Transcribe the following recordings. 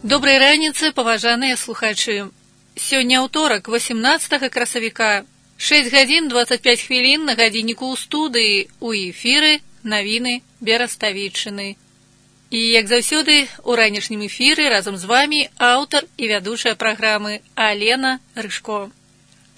Добрай раніцы, паважаныя слухачы. Сёння ўторак, 18 красавіка, 6 гадзін 25 хвілін на гадзінніку ў студыі, у эфіры навіны Бераставіччыны. І, як заўсёды, у ранішнім эфіры разам з вамі аўтар і вядучая праграмы Алена Рыжко.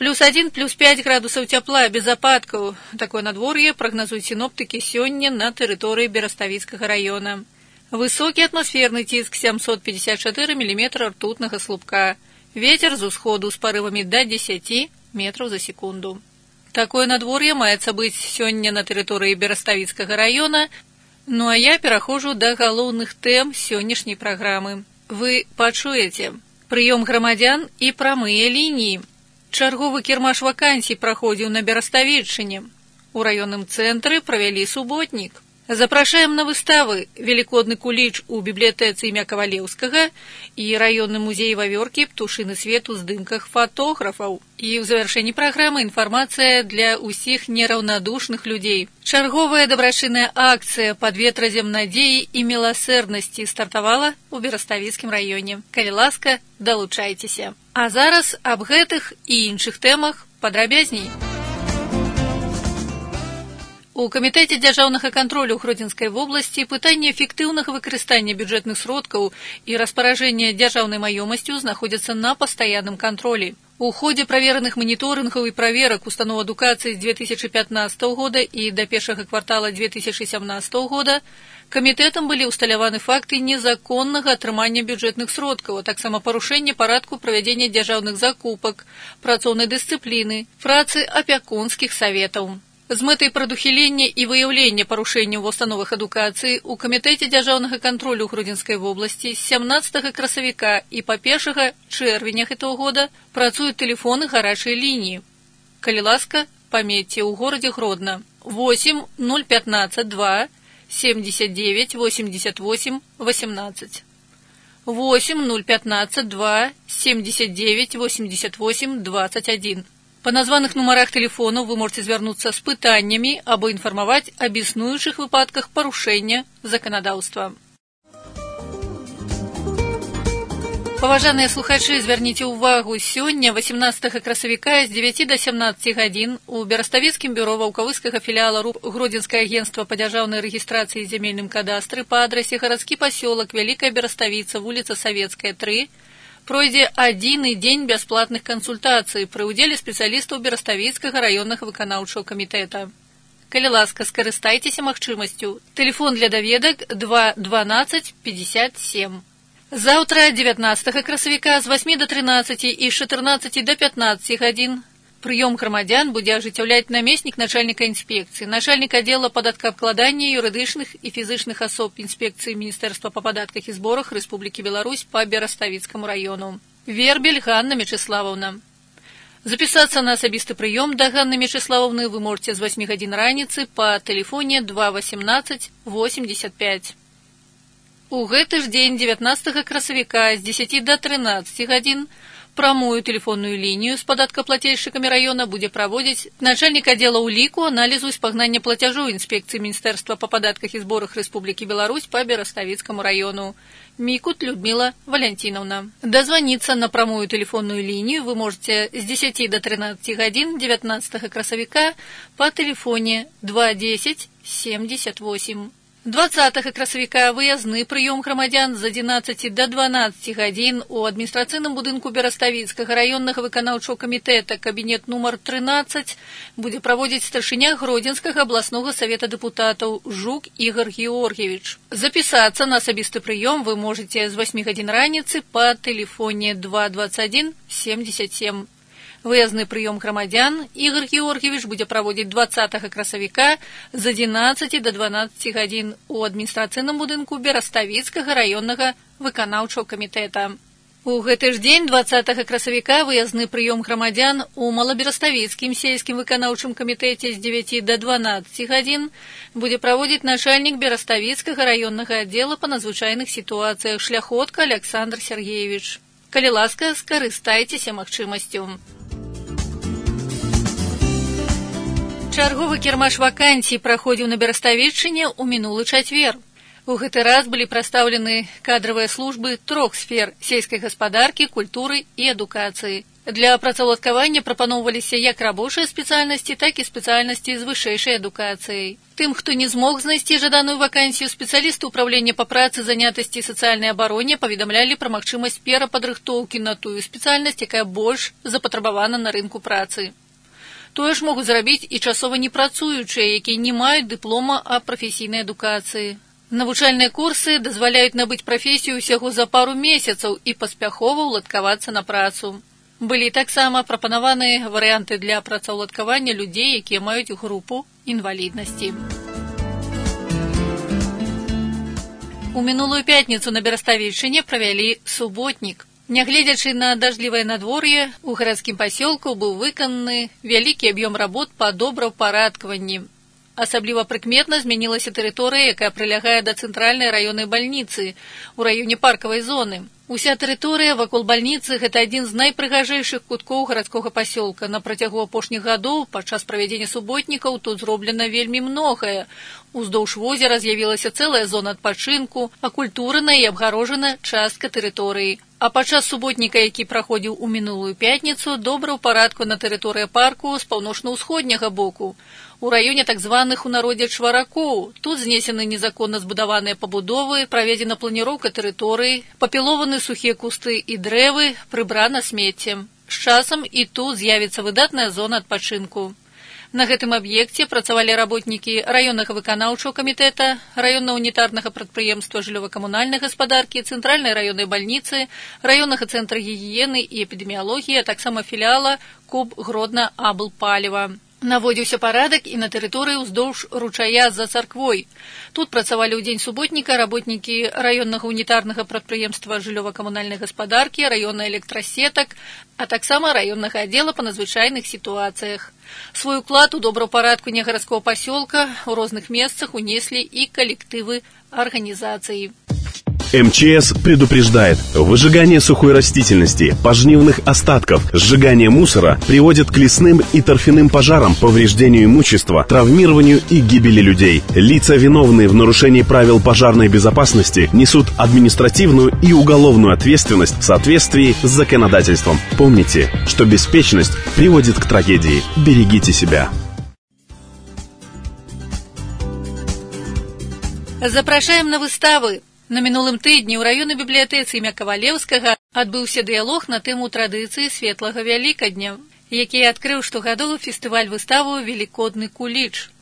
+1, +5 градусаў цяпла без ападкаў. Такое надвор'е прагназуюць сіноптыкі сёння на тэрыторыі Бераставіцкага раёна. Высокі атмасферны ціск 754 мм ртутнага слупка. Вецер з усходу з парывамі да 10 метраў за секунду. Такое надвор'е маецца быць сёння на тэрыторыі Бераставіцкага раёна. Ну а я пераходжу да галоўных тэм сённяшняй праграмы. Вы пачуеце прыём грамадзян і прамыя лініі. Чарговы кірмаш вакансій праходзіў на Бераставіччыне. У раённым цэнтры правялі суботнік. Запрашаем на выставы «Великодны куліч» у бібліятэцы імя Кавалеўскага і раённы музей Вавёркі «Птушыны свет» у здымках фатографаў. І ў завяршэнні праграмы інфармацыя для ўсіх нераўнадушных людзей. Чарговая дабрачынная акцыя «Пад ветразем надзеі і міласэрнасці» стартавала ў Бераставіцкім раёне. Калі ласка, далучайцеся. А зараз аб гэтых і іншых тэмах падрабязней. У камітэце дзяржаўнага кантролю Гродзенскай вобласці пытанне эфектыўнага выкарыстання бюджэтных сродкаў і распаражэння дзяржаўнай маёмасцю знаходзяцца на пастаянным кантролі. У ходзе правераных маніторынгаў і праверак устаноў адукацыі з 2015 года і да першага квартала 2017 года камітэтам былі ўсталяваны факты незаконнага атрымання бюджэтных сродкаў, а таксама парушэння парадку правядзення дзяржаўных закупак, працоўнай дысцыпліны, працы апякунскіх саветаў. З мэтай прадухілення і выяўлення парушэнняў ва установах адукацыі у камітэце дзяржаўнага кантролю Гродзенскай вобласці з 17 красавіка і па 1 чэрвеня гэтага года працуюць тэлефоны гарачай лініі. Калі ласка, памятьце, у горадзе Гродна 8 015 2 79 88 18. 8 015 2 79 88 21. Па названых нумарах тэлефонаў вы можете звярнуцца з пытаннямі або інфармаваць аб існуючых выпадках парушэння заканадаўства. Паважаныя слухачы, звярніце ўвагу, сёння, 18 красавіка, з 9 да 17 гадзін у Бераставіцкім бюро ваўкавыскага філіяла РУП Гродзенскае агенцтва па дзяржаўнай рэгістрацыі і зямельным кадастры па адрасе гарадскі пасёлак Вялікая Бераставіца, вуліца Савецкая, 3, пройдзе адзіны дзень бясплатных кансультацый пры ўдзеле спецыялістаў Бераставіцкага раённага выканаўчага камітэта. Калі ласка, скарыстайцеся магчымасцю. Тэлефон для даведак 2 12 57. Заўтра, 19 красавіка, з 8 до 13 і з 14 до 15 гадзін прыём грамадзян будзе ажыццяўляць намеснік начальніка інспекцыі, начальнік аддзела падаткаабкладання юрыдычных і фізычных асоб інспекцыі Міністэрства па падатках і зборах Рэспублікі Беларусь па Бераставіцкаму раёну. Вербель Ганна Мячеславаўна. Запісацца на асабісты прыём да Ганны Мячеславаўны вы можете з 8 гадзін раніцы па тэлефоне 2 18 85. У гэты ж дзень, 19 красавіка, з 10 до 13 гадзін прамую тэлефонную лінію з падаткаплацельшчыкамі раёна будзе праводзіць начальнік аддзела ўліку, аналізу і спагнання плацяжоў інспекцыі Міністэрства па падатках і зборах Рэспублікі Беларусь па Бераставіцкаму раёну. Мікут Людмила Валянцінаўна. Дазваніцца на прамую тэлефонную лінію вы можете з 10 до 13 гадзін 19 красавіка па тэлефоне 210 78. 20 красавіка выязны прыём грамадзян з 11 до 12 гадзін у адміністрацыйным будынку Бераставіцкага раённага выканаўчага камітэта кабінет нумар 13 будзе праводзіць старшыня Гродзенскага абласнога савета дэпутатаў Жук Ігор Георгіевич. Запісацца на асабісты прыём вы можете з 8 гадзін раніцы па тэлефоне 221 77. Выязны прыём грамадзян Ігор Георгіевич будзе праводзіць 20 красавіка з 11 до 12 гадзін у адміністрацыйным будынку Бераставіцкага раённага выканаўчага камітэта. У гэты ж дзень, 20 красавіка, выязны прыём грамадзян у Малабераставіцкім сельскім выканаўчым камітэце з 9 до 12 гадзін будзе праводзіць начальнік Бераставіцкага раённага аддзела па надзвычайных сітуацыях Шляхотка Александр Сергеевич. Калі ласка, скарыстайцеся магчымасцю. Чарговы кірмаш вакансій праходзіў на Бераставіччыне ў мінулы чацвер. У гэты раз былі прадстаўлены кадравыя службы 3 сфер сельскай гаспадаркі, культуры і адукацыі. Для працаўладкавання прапаноўваліся як рабочыя спецыяльнасці, так і спецыяльнасці з вышэйшай адукацыяй. Тым, хто не змог знайсці жаданую вакансію, спецыялісты ўправлення па працы, занятасці і сацыяльнай абароне паведамлялі пра магчымасць перападрыхтоўкі на тую спецыяльнасць, якая больш запатрабавана на рынку працы. Тое ж могуць зрабіць і часова непрацуючыя, якія не маюць дыплома аб прафесійнай адукацыі. Навучальныя курсы дазваляюць набыць прафесію ўсяго за пару месяцаў і паспяхова ўладкавацца на працу. Былі таксама прапанаваны варыянты для працаўладкавання людзей, якія маюць групу інваліднасці. У мінулую пятніцу на Бераставішчыне правялі суботнік. Нягледзячы на дажджлівае надвор'е, у гарадскім пасёлку быў выкананы вялікі аб'ём работ па добраўпарадкаванні. Асабліва прыкметна змянілася тэрыторыя, якая прылягае да цэнтральнай раённай бальніцы ў раёне паркавай зоны. Уся тэрыторыя вакол бальніцы – гэта адзін з найпрыгажэйшых куткоў гарадскога пасёлка. На працягу апошніх гадоў падчас правядзення суботнікаў тут зроблена вельмі многае. Уздоўж возера з'явілася цэлая зона адпачынку, акультурана і абгарожана частка тэрыторыі. А падчас суботніка, які праходзіў у мінулую пятніцу, добраўпарадку на тэрыторыі парку з паўночна-ўсходняга боку. У раёне так званых у народзе чваракоў. Тут знесены незаконна збудаваныя пабудовы, праведзена планіроўка тэрыторыі, папілованы сухія кусты і дрэвы, прыбрана смецце. З часам і тут з'явіцца выдатная зона адпачынку. На гэтым аб'екце працавалі работнікі раённага выканаўчага камітэта, раённага унітарнага прадпрыемства жыллёва-камунальнай гаспадаркі, цэнтральнай раённай бальніцы, раённага цэнтра гігіены і эпідэміялогіі, а таксама філіяла КУБ Гродна-Аблпаліва. Наводзіўся парадак і на тэрыторыі ўздоўж ручая за царквой. Тут працавалі ў дзень суботніка работнікі раённага унітарнага прадпрыемства жыллёва-камунальнай гаспадаркі, раённых электрасетак, а таксама раённага аддзела па надзвычайных сітуацыях. Свой уклад у добраўпарадкаванне гарадскога пасёлка ў розных месцах унеслі і калектывы арганізацыі. МЧС предупреждает: выжигание сухой растительности, пожнивных остатков, сжигание мусора приводит к лесным и торфяным пожарам, повреждению имущества, травмированию и гибели людей. Лица, виновные в нарушении правил пожарной безопасности, несут административную и уголовную ответственность в соответствии с законодательством. Помните, что беспечность приводит к трагедии. Берегите себя. Запрашаем на выставы. На мінулым тыдні ў раённай бібліятэцы імя Кавалеўскага адбыўся дыялог на тэму традыцыі светлага Вялікадня, які адкрыў штогадовы фестываль-выставу «Велікодны куліч».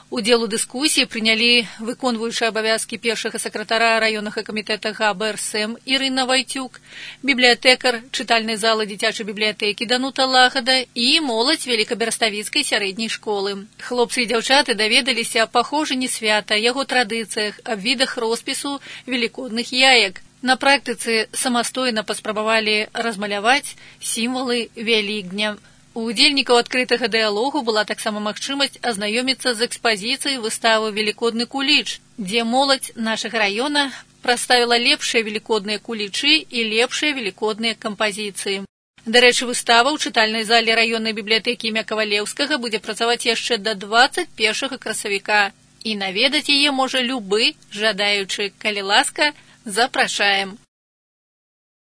Удзел у дыскусіі прынялі выконваючы абавязкі першага сакратара раённага камітэта ГБРСМ Ірына Вайцюк, бібліятэкар чытальнай залы дзіцячай бібліятэкі Данута Лагада і моладзь Велікабераставіцкай сярэдняй школы. Хлопцы і дзяўчаты даведаліся аб паходжанні свята, яго традыцыях, аб відах роспісу велікодных яек. На практыцы самастойна паспрабавалі размаляваць сімвалы Вялікдня. У удзельнікаў адкрытага дыялогу была таксама магчымасць азнаёміцца з экспазіцыяй выставы «Велікодны куліч», дзе моладзь нашага раёна прадставіла лепшыя велікодныя кулічы і лепшыя велікодныя кампазіцыі. Дарэчы, выстава ў чытальнай зале раённай бібліятэкі імя Кавалеўскага будзе працаваць яшчэ да 21 красавіка, і наведаць яе можа любы жадаючы. Калі ласка, запрашаем.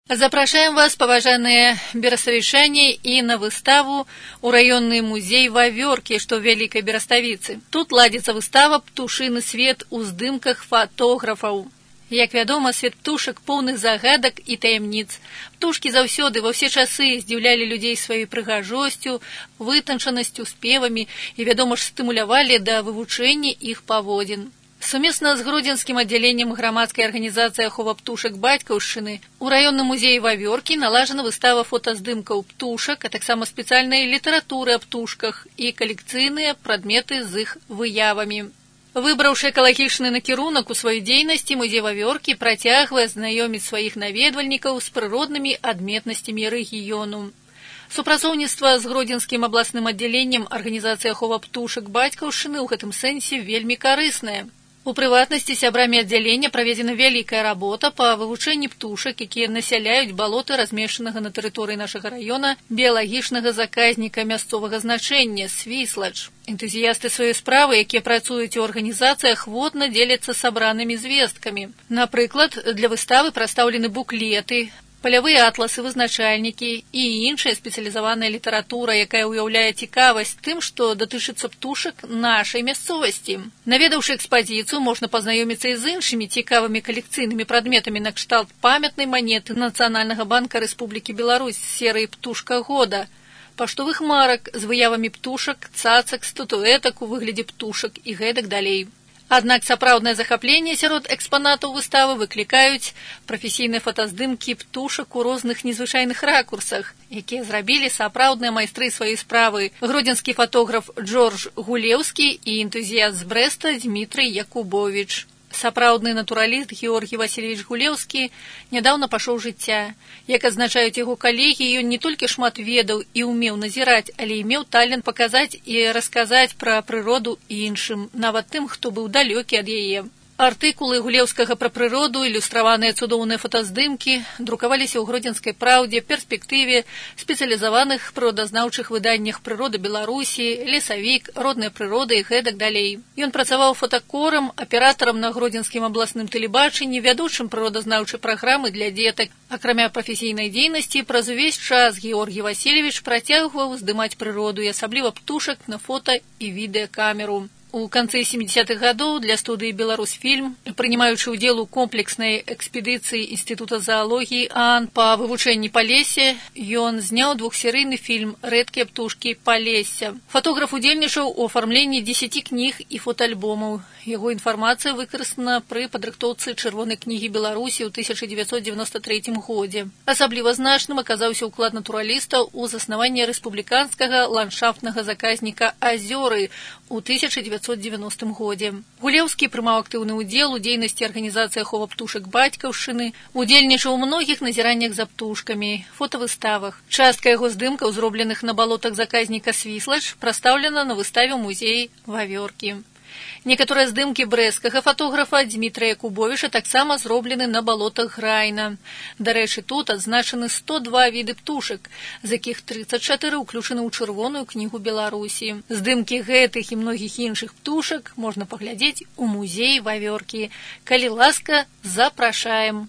Запрашаем вас, паважаныя бераставічане, і на выставу ў раённы музей Вавёркі, што ў Вялікай Бераставіцы. Тут ладзіцца выстава «Птушыны свет» у здымках фатографаў. Як вядома, свет птушак поўны загадак і таямніц. Птушкі заўсёды ва ўсе часы здзіўлялі людзей сваёй прыгажосцю, вытанчанасцю, спевамі і, вядома ж, стымулявалі да вывучэння іх паводзін. Сумесна з гродзенскім аддзяленнем грамадскай арганізацыі ахова птушак Бацькаўшчыны у раённым музеі Вавёркі налажана выстава фотаздымкаў птушак, а таксама спецыяльнай літаратуры аб птушках і калекцыйныя прадметы з іх выявамі. Выбраўшы экалагічны накірунак у сваёй дзейнасці, музей Вавёркі працягвае знаёміць сваіх наведвальнікаў з прыроднымі адметнасцямі рэгіёну. Супрацоўніцтва з гродзенскім абласным аддзяленнем арганізацыі ахова птушак Бацькаўшчыны ў гэтым сэнсе вельмі карыснае. У прыватнасці сябрамі аддзялення праведзена вялікая работа па вывучэнні птушак, якія насяляюць балоты размешчанага на тэрыторыі нашага раёна біялагічнага заказніка мясцовага значэння Свіслач. Энтузіясты сваёй справы, якія працуюць у арганізацыях, ахвотна дзеляцца сабранымі звесткамі. Напрыклад, для выставы прадстаўлены буклеты, палявыя атласы, вызначальнікі і іншая спецыялізаваная літаратура, якая ўяўляе цікавасць тым, што датычыцца птушак нашай мясцовасці. Наведаўшы экспазіцыю, можна пазнаёміцца і з іншымі цікавымі калекцыйнымі прадметамі накшталт памятнай манеты Нацыянальнага банка Рэспублікі Беларусь з серыі «Птушка года», паштовых марак з выявамі птушак, цацак, статуэтак у выглядзе птушак і гэтак далей. Аднак сапраўднае захапленне сярод экспанатаў выставы выклікаюць прафесійныя фотаздымкі птушак у розных незвычайных ракурсах, якія зрабілі сапраўдныя майстры сваёй справы. Гродзенскі фотограф Джордж Гулеўскі і энтузіяст з Брэста Дмітрый Якубовіч. Сапраўдны натураліст Георгій Васильевич Гулеўскі нядаўна пашоў жыцця. Як адзначаюць яго калегі, ён не толькі шмат ведаў і ўмеў назіраць, але і меў талент паказаць і расказаць пра прыроду іншым, нават тым, хто быў далёкі ад яе. Артыкулы Гулеўскага пра прыроду, ілюстраваныя цудоўныя фотаздымкі друкаваліся ў Гродзенскай праўдзе, перспектыве, спецыялізаваных прыродазнаўчых выданнях «Прырода Беларусі», «Лесавік», «Родная прырода» і гэтак далей. Ён працаваў фотакорам, аператарам на Гродзенскім абласным тэлебачанні, вядучым прыродазнаўчай праграмы для дзетак. Акрамя прафесійнай дзейнасці, праз увесь час Георгій Васильевич працягваў здымаць прыроду і асабліва птушак на фота і відэакамеру. У канцы 70-х гадоў для студыі «Беларусьфільм», прынимаючы ўдзел у комплекснай экспедыцыі Інстытута заалогіі ААН па вывучэнні Палесся, ён зняў двухсерыйны фільм «Рэдкія птушкі Палесся». Фотограф удзельнічаў у афармленні 10 кніг і фотаальбомаў. Яго інфармацыя выкарыстана пры падрыхтоўцы Чырвонай кнігі Беларусі ў 1993 годзе. Асабліва значным аказаўся ўклад натураліста ў заснаванне рэспубліканскага ландшафтнага заказніка «Азёры» у 1990 годзе. Гулеўскі прымаў актыўны ўдзел у дзейнасці арганізацыі ахова птушак бацькаўшчыны, удзельнічаў у многіх назіраннях за птушкамі, фотавыставах. Частка яго здымкаў, зробленых на балотах заказніка Свіслач, прадстаўлена на выставе ў музеі Вавёркі. Некаторыя здымкі брэсцкага фотографа Дмітрая Якубовіча таксама зроблены на балотах Грайна. Дарэчы, тут адзначаны 102 віды птушак, з якіх 34 ўключаны ў Чырвоную кнігу Беларусі. Здымкі гэтых і многіх іншых птушак можна паглядзець у музеі Вавёркі. Калі ласка, запрашаем.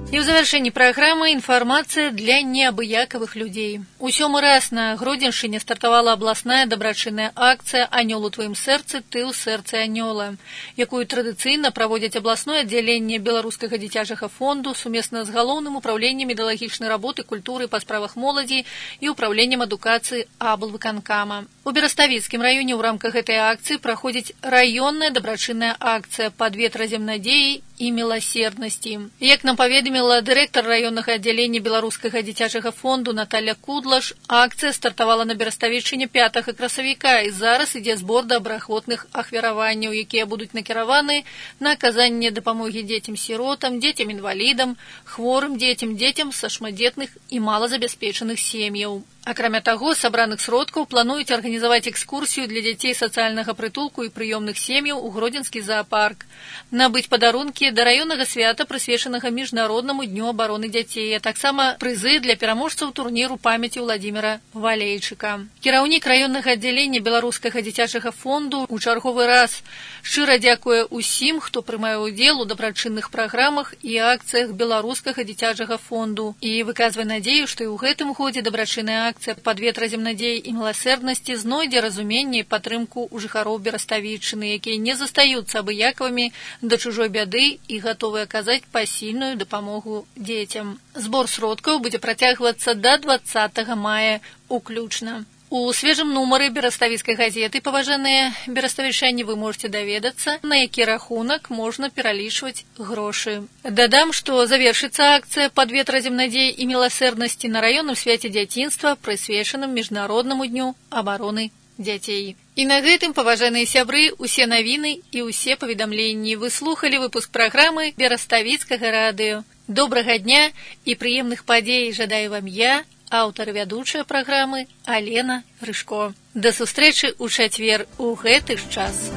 І ў завяршэнні праграмы інфармацыя для неабыякавых людзей. У 7-й раз на Гродзеншчыне стартавала абласная дабрачынная акцыя «Анёл у тваім сэрцы, ты ў сэрцы анёла», якую традыцыйна праводзяць абласное аддзяленне Беларускага дзіцячага фонду сумесна з галоўным управленнем ідэалагічнай работы, культуры па справах моладзі і управленнем адукацыі аблвыканкама. У Бераставіцкім раёне ў рамках гэтай акцыі праходзіць раённая дабрачынная акцыя «Пад ветразем надзеі і міласерднасці». Як нам паведаміла дырэктар раённага аддзялення Беларускага дзіцячага фонду Наталя Кудлаш, акцыя стартавала на Бераставіччыне 5 красавіка, і зараз ідзе збор добраахвотных ахвяраванняў, якія будуць накіраваны на аказанне дапамогі дзецям-сіротам, дзецям-інвалідам, хворым дзецям, дзецям са шматдзетных і малазабяспечаных сем'яў. Акрамя таго, з сабраных сродкаў плануюць арганізаваць экскурсію для дзяцей сацыяльнага прытулку і прыёмных сем'яў у Гродзенскі заапарк, набыць падарункі да раённага свята, прысвечанага міжнароднаму дню абароны дзяцей, а таксама прызы для пераможцаў турніру памяці Владзіміра Валейчыка. Кіраўнік раённага аддзялення Беларускага дзіцячага фонду ў чарговы раз шчыра дзякуе ўсім, хто прымае ўдзел у дабрачынных праграмах і акцыях Беларускага дзіцячага фонду, і выказвае надзею, што і ў гэтым годзе дабрачынная акцыя «Пад ветразем надзеі і міласерднасці» знойдзе разуменне і падтрымку ў жыхароў Бераставіччыны, якія не застаюцца абыякавымі да чужой бяды і гатовы аказаць пасільную дапамогу дзецям. Збор сродкаў будзе працягвацца да 20 мая уключна. У свежым нумары Бераставіцкай газеты, паважаныя бераставічане, вы можете даведацца, на які рахунак можна пералічваць грошы. Дадам, што завершыцца акцыя «Пад ветразем надзеі і міласерднасці» на раённым свяце дзяцінства, прысвечаным міжнароднаму дню абароны дзяцей. І на гэтым, паважаныя сябры, усе навіны і ўсе паведамленні. Вы слухалі выпуск праграмы Бераставіцкага радыё. Добрага дня і прыемных падзей жадаю вам я, аўтар і вядучая праграмы Алена Рыжко. Да сустрэчы ў чацвер у гэты ж час.